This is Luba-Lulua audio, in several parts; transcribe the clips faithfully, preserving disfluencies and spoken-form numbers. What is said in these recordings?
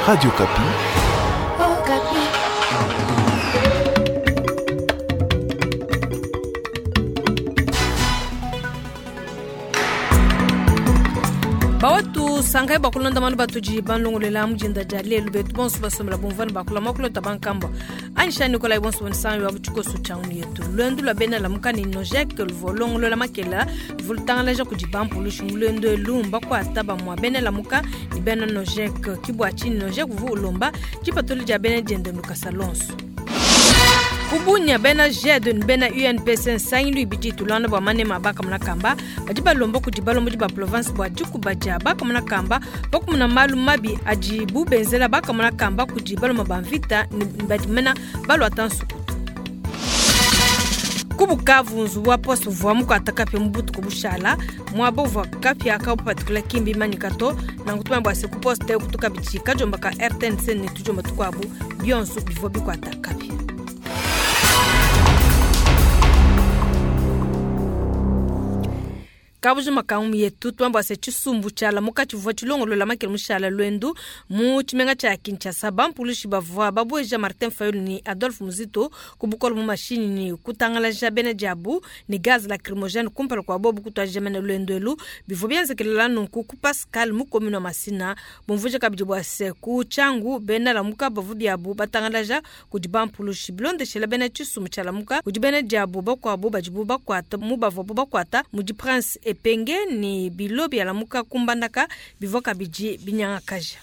Radio Okapi. Okapi. Bawatu sangai bakulonda manu batuji banlongolela mujinda dia lelu betu bonso basomela bumvani bakula makulota bankamba anisha nikolai bonso bonisangi wa butshikoso tshangunu yetu lwendu lwa bena lamuka ni nojek luvolongolola makela luvulutangalaja kudi bampulushi mulwendu elu mbakuata bamua bena lamuka ni bena nojek kibua tshini nojek uvu ulomba tshipatuli dia bena diende lukasa lonso kubunya bena G E D ni bena U N P C nsangilu ibidi tulanda bua manema bakamuna kamba badi balomba kudi balombodi ba province bua dikuba dia bakamuna kamba bakumuna malu mabi adibu benzela bakamuna kamba kudi baloma ba mvita ni badi mena baluata nsukutu kubukavu nzubu wa poste uvua mukuata kapia mu butuku bushala muaba uvua kapia kabupatikila kimbi imanyika to nanku tumanya bua se ku poste kutuka bidi kadiomba ka R T N C ne tudiomba tukuabu bionso bivua bikuata kapia. Kabujima kangu yetu twamba se tshisumbu tshiala mukatshi vua tshilongolola makele mushala lwendu mu tshimenga tshia Kinshasa bampulushi bavua babueja Martin Fayulu ni Adolphe Muzito ku bukolo mu mashinyi ni kutangalaja bena diabu ni gaz lacrymogène kumpala kua bobu kutuadija mene lwendu elu bivua bienzekelela nunku ku Pascal mu commune wa Masina bumvuija kabidi bua se ku Tshangu bena Lamuka bavu biabu batangalaja kudi bampulushi bilondeshela bena tshisumbu tshia Lamuka kudi bena diabu bakuabu badibu bakuata mu bavuabu bakuata mudi Prince Epenge ni bilo bia Lamuka kumbandaka bivua kabidi binyangakaja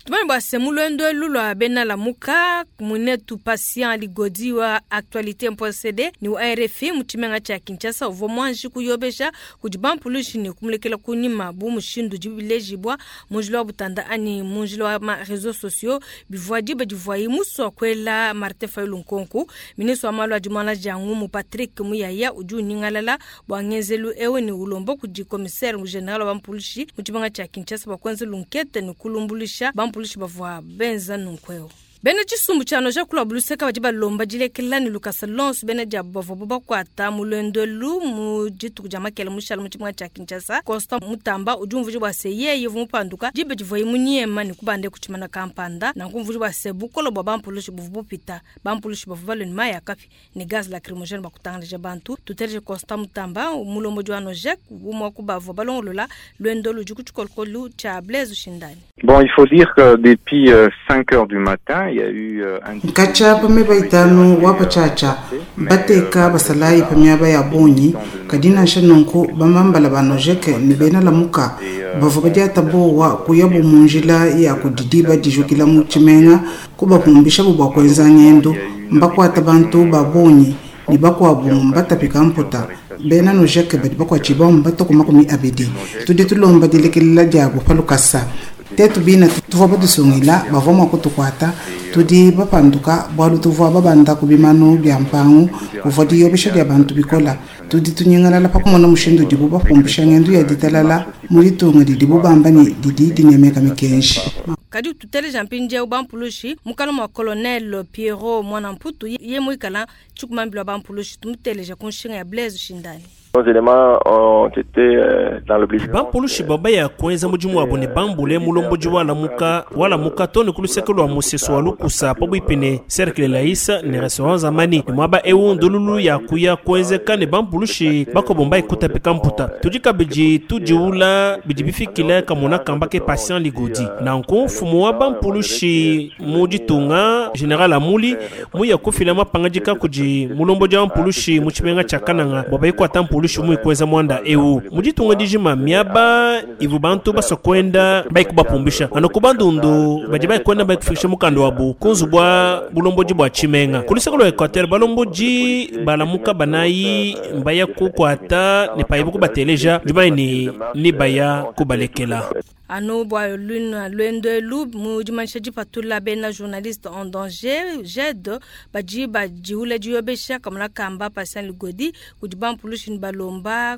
tumani bua se mulwendo elu lua bena Lamuka munetu Patient Ligodi wa actualité point C D ni wa R F I mu tshimenga tshia Kinshasa uvua muanji kuyobesha kudi bampulushi ni kumulekela kunyima bu mushindu dibilejibwa munjila wa butanda ani munjila wa ma réseaux sociaux bivua diba divuayi musua kuela Martin Fayulu nkonku. Ministre wa malu adi muana diangu mu Patrick Muyaya udi unyingalala bua ngenzelu ewu ni ulomba kudi commissaire général wa bampulushi mu tshimenga tshia Kinshasa bua kuenza lunkete ni kulumbulisha bampulushi bavua benza nunku. Bena tshisumbu tshia noja kula buluseka badi balomba dilekela ni lukasa lonso bena diabu bavuabu bakuata mu lwendo elu mu dituku dia makele mushala mu tshimenga tshia Kinshasa. Constant Mutamba udi umvuija bua se yeye uvua mupanduka diba divuaye munyema ni kubande ku tshimana kampanda nanku umvuija bua se bukolo bua bampulushi buvua bupita bampulushi bavua balue ni mayi ya kapi ni gaz lacrymogène bakutangalaja bantu. Tuteleje Constant Mutamba mulombodi wa Nojek umua ku bavua balongolola lwendo ludi ku tshikolokolu tshia Blaise Shindani. Bon, il faut dire que depuis euh, cinq heures du matin, il y a eu euh, un Nkacha pameba itanu wa pachacha bateka basalayi pamiaba ya bonyi kadi nansha nunku bamambala ba Nojeke ni bena Lamuka bavua badiata bowa kuyabu mu njila ya kudidiba dijukila mu tshimenga kubapumbishabu bua kuenza ngendo mbakuata bantu ba bonyi ni bakuabu mbatapika mputa bena Nojeke badi bakuatshiba mbatuku makumi abidi tudi tulomba dilekelela diabu pa lukasa tetu bina tuvua batusungila bavua mua kutukuata tudi bapanduka bualu tuvua babanda ku bimanu bia mpangu kuvua diyobesha dia bantu bikola tudi tunyingalala pa kumona mushindu udibu bapumbisha ngendo ya ditalala mu ditunga didibu bamba ni didi dinemeka mikenji. Kadi tuteleja mpindieu bampulushi mukala mua colonel Pierrot Mwana Mputu ye muikala tshikumambila bampulushi tumuteleja ku nshinga ya Blaise Shindani. Nos éléments ont été euh, dans l'obligation. Bampulushi baba ya kuenza mudimu wabo ne bambule mulombodi wa Lamuka wa Lamuka tone ku luseke lua musesu wa lukusa pabuipi cercle Laisa ne restaurant Zamani ne muaba ewu ndululu ya kuya kuenzeka ne bampulushi bakobomba ekutapika mputa tudi kabidi tudiula bidi bifikile kamona kamba ke Patient Ligodi nanku mfumu wa bampulushi mu ditunga général Amuli muya kufila mapangadika kudi mulombodi wa mpulushi mu tshimenga tshia Kananga bua bayikwata mpulushi mu ikuenza mwanda ewu mu ditunga dijima miaba ivu bantu basua kuenda bayikubapumbisha anu ku bandundu badi bayikwenda bayikufikisha mukanda wabu ku nzubu bua bulombodi bua tshimenga ku luseke lua Equateur balombodi balamuka banayi mbaya kukwata ne payibu kubateleja jumayi ni ni baya kubalekela. Anu bua luna lwendo elu mu dimanyisha dipatula bena journaliste en danger G E D badi badiula diyobesha kamona kamba Patient Ligodi kudi bampulushi ni balomba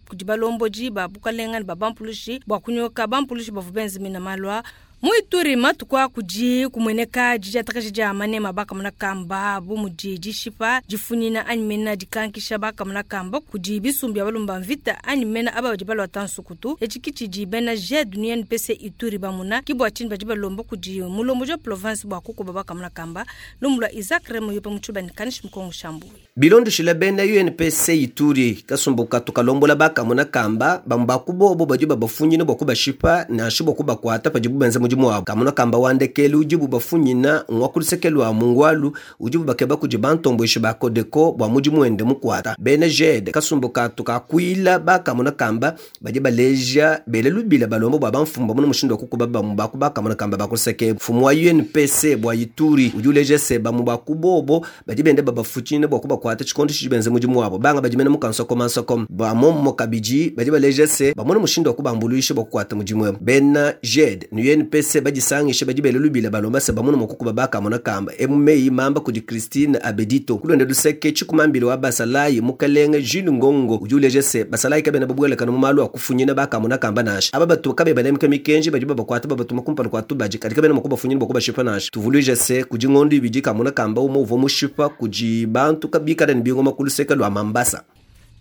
kudi balombodi ba bukalenga ne ba bampulushi bua kunyoka bampulushi bavua benzemina malwa. Mu Ituri matuku akudi kumueneka didiatakaja dia manema bakamona kamba bu mudi dishipa difunyina anyi mena dikankisha bakamona kamba kudi bisumbu bia balumba mvita anyi mena aba badi balwata nsukutu etshi kitshidi bena G E D ni U N P C Ituri bamuna kibwa tshini badi balomba kudi mulombo wa province bua kukuba bakamona kamba lumulwa Isaac Remo yopa mutshubani kanishi mukongo shambu Bilondeshile bena U N P C Ituri kasumbuka tukalombola bakamona kamba bambakubobo badi babafunyina bua kubashipa nansha bua kubakuata padibu benza mudimu wabo. Kamona kamba wandekelu udibu bafunyina ngwakulisekelwa mungwalu udibu bakeba kudi bantomboishi ba Kodeko bua mudimu wende mukuata. Bena G E D kasumbuka tukakuila bakamona kamba badi baleja bele lubila balombo bua bamfumba muno mushindo wa kukuba bamu bakamona kamba bakuliseke. Mfumu wa U N P C bua Ituri udi uleja se bamu bakubobo badi bende babafunyina bua kubakuata tshikondo tshidi benza mudimu wabo. Banga badi mena mukansoko mansoko ba mommo kabidi badi baleja se bamona mushindo wa kubambuluisha bua kukuata mudimu wabo. Bena G E D ni U N P C badisangishe badi bele lubila balomba se bamona mukukuba bakamona kamba emumeyi mamba kudi Christine Abedito kulonde luseke chikumambile wa basalayi mukalenge Jules Ngongo udi uleja se basalayi kabena babwelekana mu malu akufunyina bakamona kamba nasha aba batu kabe banemka mikenji badi babakwata babatuma kumpala kwa tubaji kadi kabena mukubafunyina bwa nasha tuvuluije se kudi ngondo ibidi kamona kamba umo uvo mushipa kudi bantu kabikala ni bingoma kuluseke lwa Mambasa.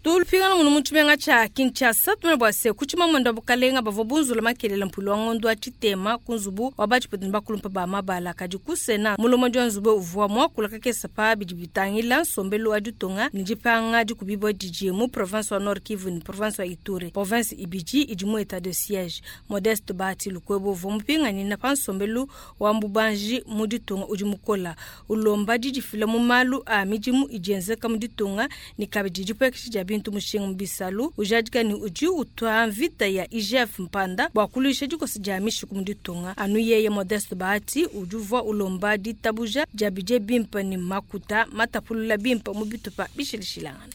Tulipingana munu mutshimenga tsha Kinshasa tumene bua se kutshima mwendo wa bukalenga bavua bunzula makelela mpulu wa ngondo wa tshitema ku nzubu wa batshipetuni bakulumpa ba mabala kadi kusena mulomo wa nzubu uvua muakula kakesa pa bidi bitangila nsombelu wa ditunga ni dipanga dikubibua didi mu province wa Nord Kivu ni province wa Ituri province ibidi idi mu état de siège. Modeste Bahati Lukwebo uvua mupinganina pa nsombelu wa mbubanji mu ditunga udi mukola ulomba didifila mu malu a midimu idi yenzeka mu ditunga ni kabidi dipuekesha dia bintu mushinga bisalu ujadika ni udi utwa mvita ya I G F mpanda bua kuluisha dikosi dia mishiku mu ditunga anu yeye Modeste Bahati udi uvua ulomba ditabuja dia bidie bimpe ni makuta matapulula bimpe mu bitupa bishilishilangana.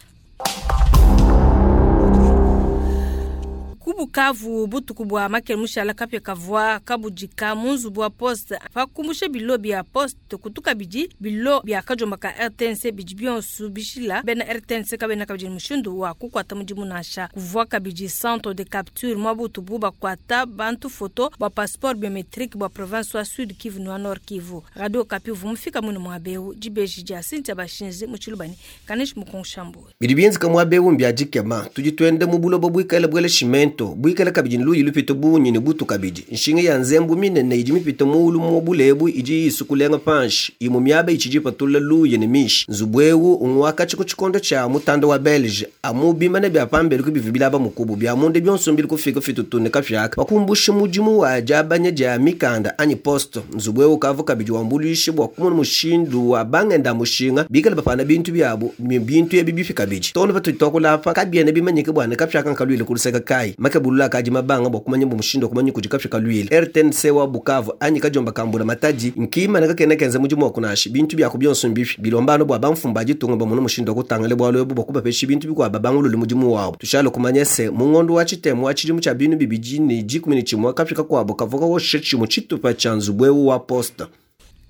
Kubukavu butuku bua makele mushala kapya kavua kabudika mu nzubu wa poste pakumbusha bilo bya poste kutuka bidi bilo bya kajomba ka R T N C bidi bionso bishila bena R T N C kabena kabidi mushindu wa kukwata mudimu nasha kuvua kabidi centre de capture mwa butubu bakwata bantu photo bwa passeport biometrique bwa province wa Sud Kivu na Nord Kivu. Radio Okapi vumufika muno mwabeu dibeji dia Cynthia Bashinzi mu Tshilubani kanish mukongshambu bidi bienzeka mwabeu mbya dikema tudi twende mu bulobo bwikale bwele shimento bwikale kabidi nluyi lupito bunyi ne butu kabidi nshinga ya nzembu minene idi mipito muulu mu bulebu idi isukulenga panshi imu miaba ichidi patula luyi ne mishi nzubwewu unwaka chiko chikondo cha mutanda wa Belge amu bimane bya pambelu kubivi bilaba mukubu bya munde byonso mbili kufika fitutune kafyaka bakumbushe mudimu wa jabanya ja mikanda anyi posto nzubwewu kavu kabidi wambuluishe bwa kumona mushindu wa bangenda mushinga bikale bapana bintu byabo bintu ebi bifi kabidi tono patutitokulapa kabyene bimanyike bwana kafyaka nkalwile kuluseka kai makebulula kaji mabanga bwa kumanya mbu mushindo kumanya kujika fika lwile R T N C wa Bukavu anyi kajomba kambula matadi nkima na kakena kenza mudimu wa kunashi bintu bya kubyonso mbifi bilombano bwa bamfumba jitunga ba muno mushindo kutangale bwa lwebu bwa kubapeshi bintu bikwa babangulule mudimu wabo tushalo kumanya se mungondo wa chitemo wa chilimu cha binu bibiji ni jikumi ni chimwa kafika kwabo kavuka wo shechi mu chitupa cha nzubwewu wa posta.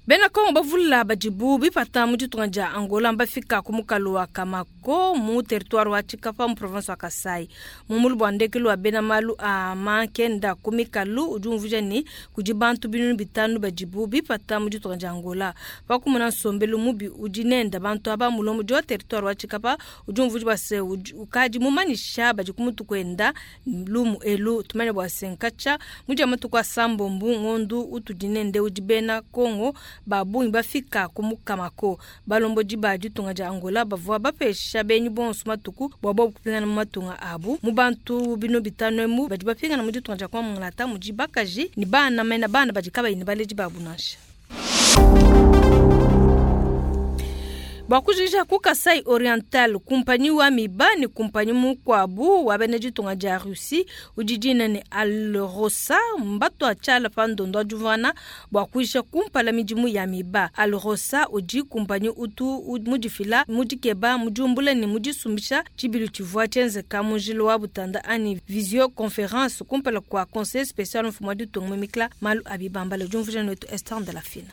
Bena Kongo bavula bajibu bipata mu ditunga dia Angola mbafika ku mukalu wa Kamako mu territoire wa Tshikapa mu province wa Kasai. Mu mulu bua ndekelu wa bena malu a mankenda ku mikalu udi umvuija ni kudi bantu binunu bitanu bajibu bipata mu ditunga dia Angola. Pakumona nsombelu mubi udi nenda bantu aba mulombo wa territoire wa Tshikapa udi umvuija bua se ukadi mumanyisha badi ku mutu kwenda lumu elu tumanya bua se nkatsha mu dia matuku a sambombu ngondu utudi nende udi bena Kongo babungi bafika ku mukamako balombo ba ditunga dia Angola bavua bapesha benyi bonso matuku bua bobu kupingana mu matunga abu mu bantu bino bitano emu badi bapingana mu ditunga dia kwa Mongolata mudi bakaji ni bana mena bana badi kabayi ni baleji babu nansha. Bakujija ku Kasai Oriental kumpanyi wa miba ni kumpanyi mukwabu wa bena ditunga dia Russie udi dina ni Alrosa mbato achala pa ndondo adjuvana bwa kuisha kumpala midimu ya miba. Alrosa udi kumpanyi utu mudifila mudikeba mujumbula ni mudisumbisha chibilu chivua chenzeka mujilo wa butanda ani visioconférence kumpala kwa conseil spécial mfumo ditunga mimikla malu abibambala jumvuja netu Esther de la Fina.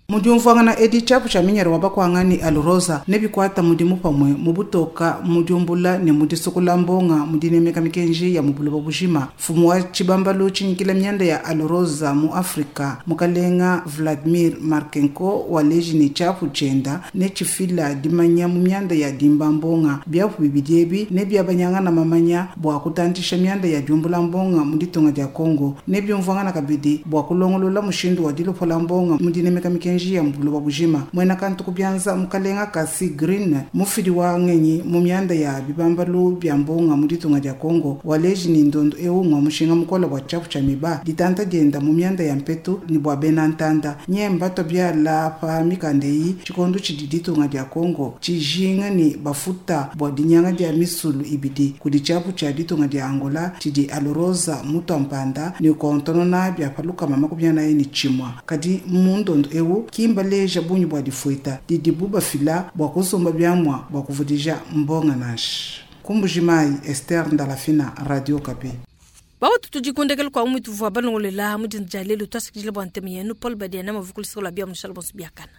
Mu diumvuangana edi tshiapu tshia minyere wa bakwangani Alrosa ne bikwata mudimu pamwe mu butoka mu diumbula ne mu disukula mbonga mu dinemeka mikenji ya mu buloba bujima. Mfumu wa tshibambalu tshinyikila mianda ya Alrosa mu Afrika mukalenga Vladimir Markenko waleji ne tshiapu tshienda ne tshifila dimanya mu mianda ya dimba mbonga. Biapu bibidi ebi ne biabanyangana mamanya bua kutantisha mianda ya diumbula mbonga mu ditunga dia Congo ne biumvuangana kabidi bua kulongolola mushindu wa dilopola mbonga mu dinemeka mikenji ya buloba bujima. Mwena kantu kubyanza mukalenga Kasi Green mufidi wa ngenyi mu mianda ya bibambalu bya mbonga mu ditunga dia Congo waleji ni ndondo ewu ngwa mushinga mukola bwa tshiapu tshia miba ditanta dienda mu mianda ya mpetu ni bua bena ntanda nyemba to biala pa mikanda eyi tshikondo tshidi ditunga dia Congo tshijinga ni bafuta bua dinyanga dia misulu ibidi kudi tshiapu tshia ditunga dia Angola tshidi Alrosa mutwampanda ni kontonona bya palukama makumi anayi ni tshimwa. Kadi mu ndondo ewu kimbaleja bunyi bua difueta didibu bafila bua kusumba biamwa bua kuvudija mbonga nashi. Kumbujimai Esther Ndalafina, Radio Okapi. Bawo tutujikundekele kwa umwe tuvua balongolela mu dinda dia lelu twasikidile bua ntemu yenu Paul Badiana mavukulisoko la bia mushala bonso biakana.